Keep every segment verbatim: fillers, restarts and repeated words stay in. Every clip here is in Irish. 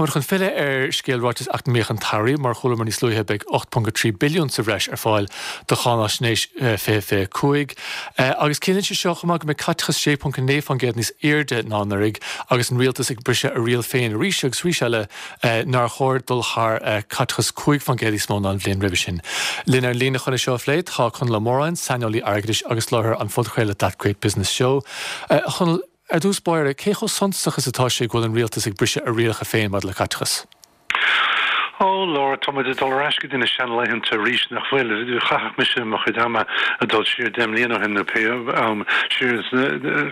Táimid chun filleadh ar scéal ráiteas eacnamaíoch an tsamhraidh. Mar chualamar níos luaithe, beidh ocht ponc a trí billiún sa bhreis ar fáil do cháinaisnéis fiche fiche cúig. Agus ciallaíonn sé seo chomh maith go mbeidh caiteachas sé ponc a naoi faoin gcéad níos airde ná anuraidh agus an rialtas ag briseadh a riail féin arís agus arís eile nár chóir dul thar caiteachas cúig faoin gcéad níos mó ná an bhliain roimhe sin. Linn ar líne chun é seo a phlé tá Conall Ó Móráin, saineolaí airgeadais agus láithreoir an phodchraoladh That Great Business Show. A Chonaill, ar dtús báire, cé chomh suntasach is atá sé go bhfuil an rialtas ag briseadh a rialacha féin maidir le caiteachas? Ó, Laura, tá muid ag dul ar ais go dtí na seanlaethanta arís, nach bhfuil? Chaithfeadh mise mo chuid ama ag dul siar deich mbliana ó shin nó pé am siar,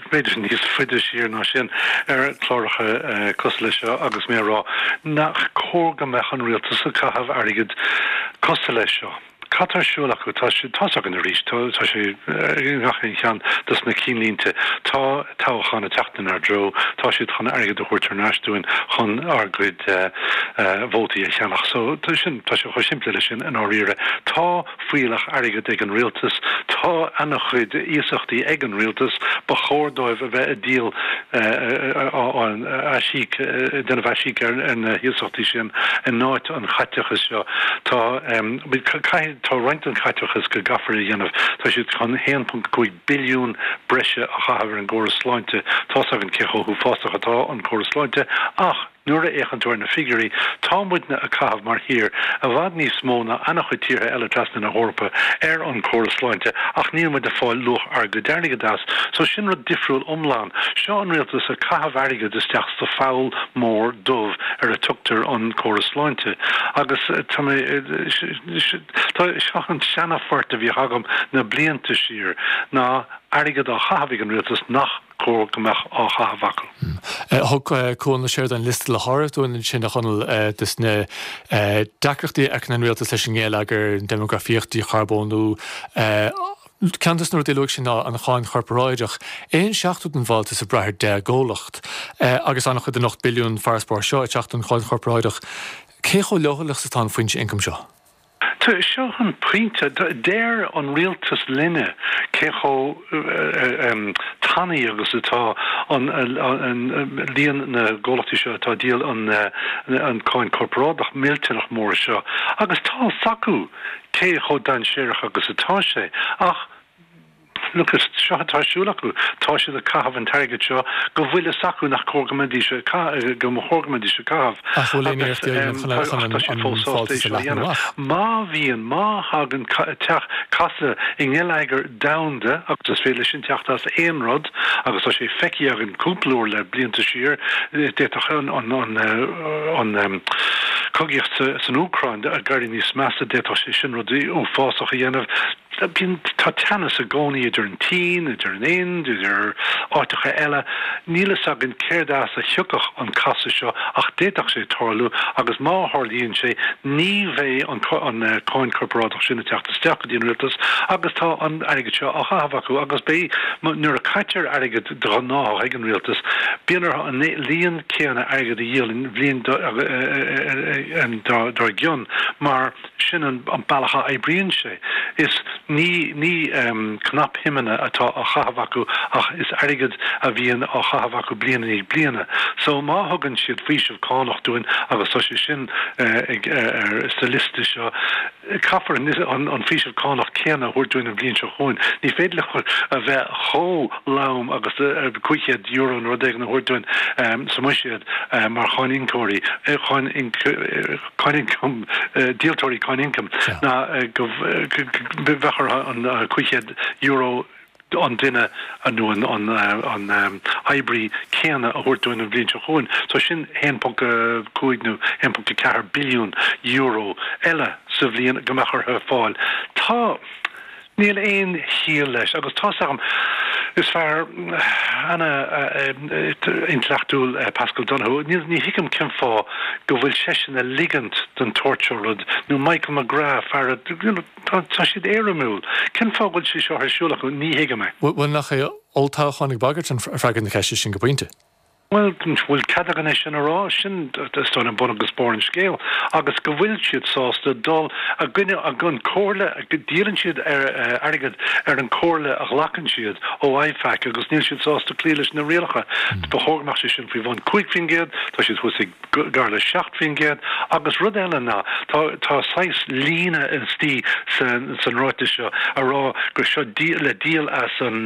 b'fhéidir níos faide siar ná sin, ar chláracha cosúil leis seo agus mé ag rá nach cóir go mbeadh an rialtas ag caitheamh airgid cosúil leis seo. Cad tá ar siúl acu? Tá sé, tá's againn arís, tá, tá sé i ngach aon cheann dos na cinnlínte. Tá toghchán ag teacht inár dtreo, tá siad chun airgead a thabhairt thar n-ais dúinn chun ár gcuid vótaí a cheannach. So, tá sin, tá sé chomh simplí leis sin i ndáiríre. Tá fuílleach airgid ag an rialtas, tá ana-chuid iasachtaí ag an rialtas, ba chóir dóibh a bheith ag díol, aisíoc, ag déanamh aisíoc ar na hiasachtaí sin in áit an chaiteachais seo. Tá, caithfidh, tá roinnt den chaiteachas go gcaithfear a dhéanamh. Tá siad chun a haon ponc cúig billiún breise a chaitheamh ar an gcóras sláinte. Tá's againn cé chomh huafásach atá an córas sláinte ach nuair a fhéachann tú ar na figiúirí, tá muidne ag caitheamh mar thír i bhfad níos mó ná ana-chuid tíortha eile trasna na hEorpa ar an gcóras sláinte ach níl muid ag fáil luach ár gcuid airgid as. So sin rud difriúil iomlán. Seo an rialtas ag caitheamh airgid isteach sa pholl mór dubh ar a tugtar an córas sláinte agus tá mé tá seo an seana-phort a bhíodh agam na blianta siar ná airgead á chaitheamh ag an rialtas nach cóir go mbeadh á chaitheamh acu. Thug Cuan Ó Seireadáin liosta le háireamh dúinn ansin, a Chonaill, des na deacrachtaí a fheiceann an rialtas leis an ngeilleagar, an déimeagrafaíocht, dícharbónú. Ceann des na rudaí a luaigh sé ná an cháin chorparáideach. Aon seachtú den bhfáltas ag brath ar deich gcomhlacht agus an-chuid den ocht billiún farasbarr seo ag teacht ón cháin chorparáideach. Cé chomh leochaileach is atá an foinse ioncaim seo? Seo an pointe. Deir an rialtas linne cé chomh tanaí agus atá an líon na gcomhlachtaí seo atá ag díol an cáin chorparáideach millteanach mór seo agus tá 's acu cé chomh dainséarach agus atá sé, ach look at, seo atá ar siúl acu, tá siad ag caitheamh an t-airgead seo go bhfuil fhios acu nach cóir go mbeidís ag caitheamh, go mba chóir go mbeidís ag caitheamh. Ach bhfuil aon iarracht á dhéanamh chun chun an Tá siad fós sásta fáltas é a seo a leathnú dhéanamh. amach? Má bhíonn, má thagann teach casadh i ngeilleagar domhanda, agus is féidir leis sin teacht as aon rud, agus tá sé feicthe againn cúpla uair le blianta siar, d'fhéadfadh an, an, an, an cogaíocht san Úcráin ag éirí níos measa, d'fhéadfadh sé sin rudaí uafásach a dhéanamh. Bíonn, tá teannas i gcónaí idir an tSín, idir an Ind, idir áiteacha eile. Níl fhios againn céard as a thiocfadh an casadh seo ach d'fhéadfadh sé tarlú agus má tharlaíonn sé ní bheidh an an cáin chorparáideach sin ag teacht isteach go dtí an rialtas agus tá an airgead seo á chaitheamh acu agus beidh, nuair a caitear airgead de ghnáth ag an rialtas, bíonn orthu an líon céanna airgead a dhíol an bhliain dár gcionn mar sin an bealach a oibríonn sé. Is ní ní cnapshuimeanna atá á chaitheamh acu ach is airgead a bhíonn á chaitheamh acu bliain i ndiaidh bliana. So má thugann siad faoiseamh cánach dúinn, agus tá sé sin ag ar sa liosta seo, Caithfear an faoiseamh cánach céanna a thabhairt dúinn an bhliain seo chugainn. Ní féidir leo a bheith chomh lom agus cúig chéad euro nó rud éigin a thabhairt dúinn sa mbuiséad mar cháiníocóirí, cáin ioncaim, díoltóirí cáin ioncaim, ná go mbeadh orthu an cúig chéad euro an duine nó an oibrí céanna a thabhairt dúinn an bhliain seo chugainn. So sin a haon ponc cúig nó a haon ponc ceathair billiún euro eile sa bhliain go mbeadh orthu fáil. Tá. Níl aon chiall leis agus tá's agam, is fear ana-intleachtúil Paschal Donohoe, níl, ní thuigim cén fáth go bhfuil seisean ag ligint don tsórt seo rud, nó Michael McGrath, fear a, you know, Tá siad éirimiúil. Cén fáth go bhfuil sé seo ar siúl acu? Ní thuigim é. Bhuel, nach é olltoghchán ag bagairt an freagra na ceiste sin go pointe? Bhuel, bhfuil cead againn é sin a rá? Sin is dóigh liom bun agus barr an scéil. Agus go bhfuil siad sásta dul i gcoinne an chomhairle, díolann siad airgead ar an chomhairle a ghlacann siad ó IFAC agus níl siad sásta cloí leis na rialacha. Ba chóir go mbeadh sé sin faoi bhun cúig faoin gcéad, tá siad thuas ag gar le seacht faoin gcéad. Agus rud eile ná, tá tá saghas líne istigh san san ráiteas seo a rá gur seo le díol as an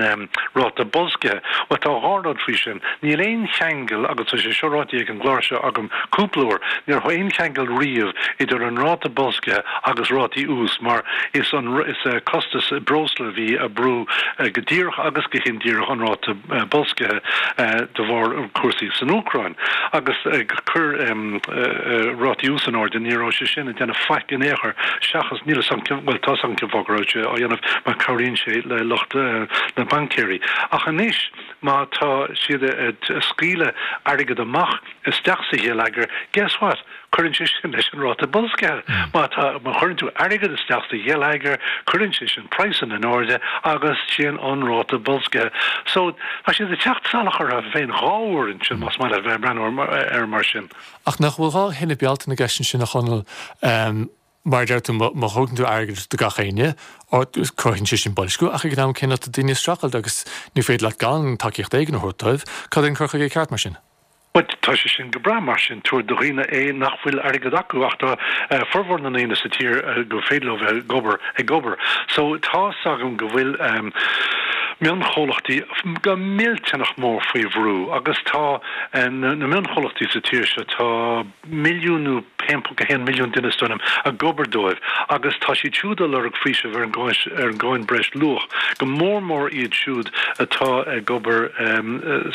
ráta boilscithe. Bhuel, tá dhá rud faoi sin. Níl aon cheangal, agus tá sé seo ráite ag an gclár seo agam cúpla uair, ní raibh aon cheangal riamh idir an ráta boilscithe agus rátaí ús mar is an is costas breosla a bhí ag brú go díreach agus go hindíreach an ráta boilscithe de bharr cúrsaí san Úcráin. Agus ag cur rátaí ús in airde, ní raibh sé sin ag déanamh faic in aon chor seachas, níl 'fhios a'm, bhuel tá 'fhios a'm cén fáth go raibh sé á dhéanamh mar cabhraíonn sé le lucht na baincéirí. Ach anois má tá siad ag scaoileadh airgead amach isteach sa gheilleagar, guess what? Cuireann sé sin leis an ráta boilscithe. Má tá, má chuireann tú airgead isteach sa gheilleagar, cuireann sé sin praghsanna in airde agus sin an ráta boilscithe. So, tá siad ag teacht salach orthu féin dhá uair ansin, más maith leat bheith ag breathnú air mar sin. Ach nach bhfuil dhá thine Bealtaine i gceist ansin, a Chonaill? Mar a deir tú, má thugann tú airgead do gach éinne, cruthaíonn sé sin boilsciú, ach ag an am céanna tá daoine ag streachailt agus ní féidir leat gan tacaíocht éigin a thabhairt dóibh. Cad é an cur chuige ceart mar sin? Bhuel, tá sé sin go breá, mar sin, tabhair do dhaoine é nach bhfuil airgead acu, ach tá formhór na ndaoine sa tír go féidir leo bheith ag obair, ag obair. So, tá's agam go bhfuil mionchomhlachtaí go millteanach mór faoi bhrú agus tá na mionchomhlachtaí sa tír seo, tá milliún nó haon ponc a haon milliún duine is dóigh liom ag obair dóibh agus tá siad siúd ag lorg faoiseamh ar an ar an gcáin breis luach, go mór mór iad siúd atá ag obair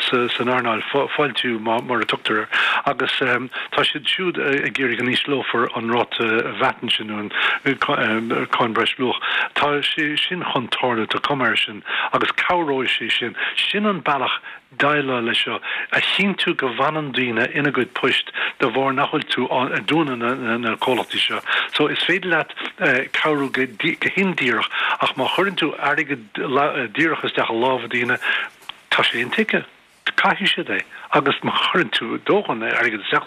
san earnáil fáiltiú mar a tugtar air agus tá siad siúd ag iarraidh go n-ísleofar an ráta VAT ansin nó an cáin breis luach. Tá sé sin chun tarlú, tá cuma air sin agus cabhróidh sé sin. Sin an bealach déileáil leis seo, a chinntiú go bhfanann daoine ina gcuid poist de bharr nach bhfuil tú ag dúnadh na comhlachtaí seo. So is féidir leat cabhrú go hindíreach ach má chuireann tú airgead díreach isteach i lámha daoine, tá sé intuigthe, caithfidh siad é. Agus má chuireann tú dóthain airgead isteach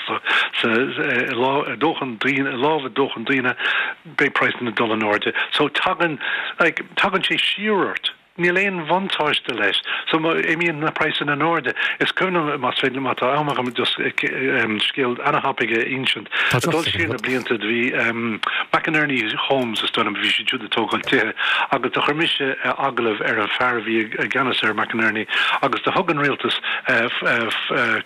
sa i dóthain daoine, i lámha dóthain daoine, beidh praghsanna ag dul in airde. So tagann, like, tagann sé siar ort. Níl aon bhuntáiste leis. So má imíonn na praghsanna in airde, is cuimhin liom, más féidir liom, má tá am agam, just scéal ana-thapaidh a insint. Ag dul siar na blianta, do bhí McInerney Homes, is dóigh liom, bhí siad siúd ag tógáil tithe, agus do chuir mise agallamh ar an fear a bhí i gceannas ar McInerney, agus do thug an rialtas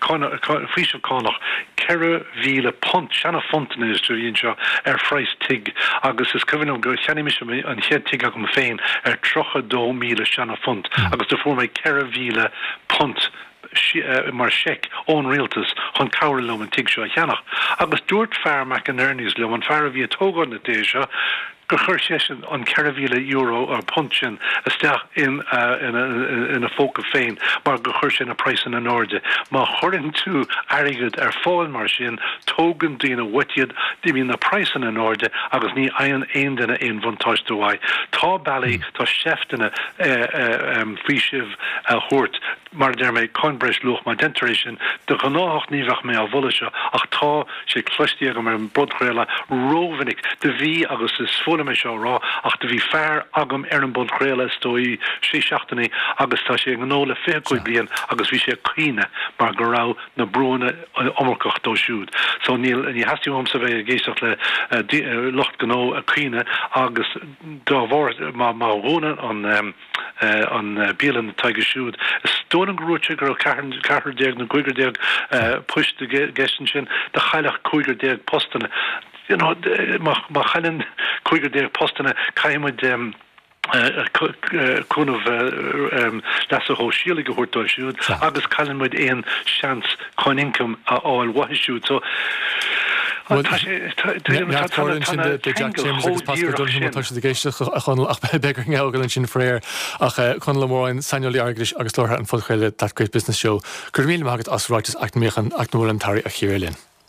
faoiseamh cánach ceithre mhíle punt, seana-phunt anois a bhí anseo, ar phraghas tigh agus is cuimhin liom gur cheannaigh mise an chéad tigh agam féin ar tríocha dó míle seana-phunt agus do fuair mé ceithre mhíle punt mar sheic ón rialtas chun cabhrú liom an tigh seo a cheannach. Agus dúirt fear McInerney's liom, an fear a bhí ag tógáil na dtithe seo, gur chuir seisean an ceithre mhíle euro or punt sin isteach in ina phóca féin mar gur chuir sé na praghsanna in airde. Má chuireann tú airgead ar fáil mar sin, tógann daoine uait iad, imíonn na praghsanna in airde agus ní fhaigheann aon duine aon bhuntáiste uaidh. Tá bealaí, tá seifteanna faoisimh a thabhairt. Mar a deir mé, cáin breis luach, má deintear é sin, de ghnáthach ní bheadh mé á mholadh seo ach tá sé cloiste agam ar an bpodchraoladh rómhinic. Do bhí, agus is fuath liom é seo a rá, ach do bhí fear agam ar an bpodchraoladh is dóigh sé seachtainí agus tá sé i ngnó le fiche cúig bliain agus bhí sé ag caoineadh mar go raibh na brúanna iomarcach dó siúd. So níl, ní theastaíonn uaimse bheith ag éisteacht le lucht gnó ag caoineadh agus dá bharr má dhúnann an an bialann atá aige siúd. Is dóigh liom gur dhúirt sé go raibh ceathrar déag nó cúigear déag poist i gceist ansin, do chaillfeadh cúigear déag postanna. You know, má chailleann cúigear déag postanna, caithfidh muid cúnamh leasa shóisialaigh a thabhairt dóibh siúd agus cailleann muid aon seans chun ioncam a fháil uathu siúd. So, Bhuel, tá sé, tá, tá, tá, tá na ceangail chomh díreach sin. Tá siad ag éisteacht a Chonaill ach beidh orainn a fhágáil ansin faraor. Ach Conall Ó Móráin, saineolaí airgeadais agus láithreoir an phodchraoladh That Great Business Show, go raibh míle maith agat as ráiteas eacnamaíoch an eacnamúil an tAire a chíoradh linn.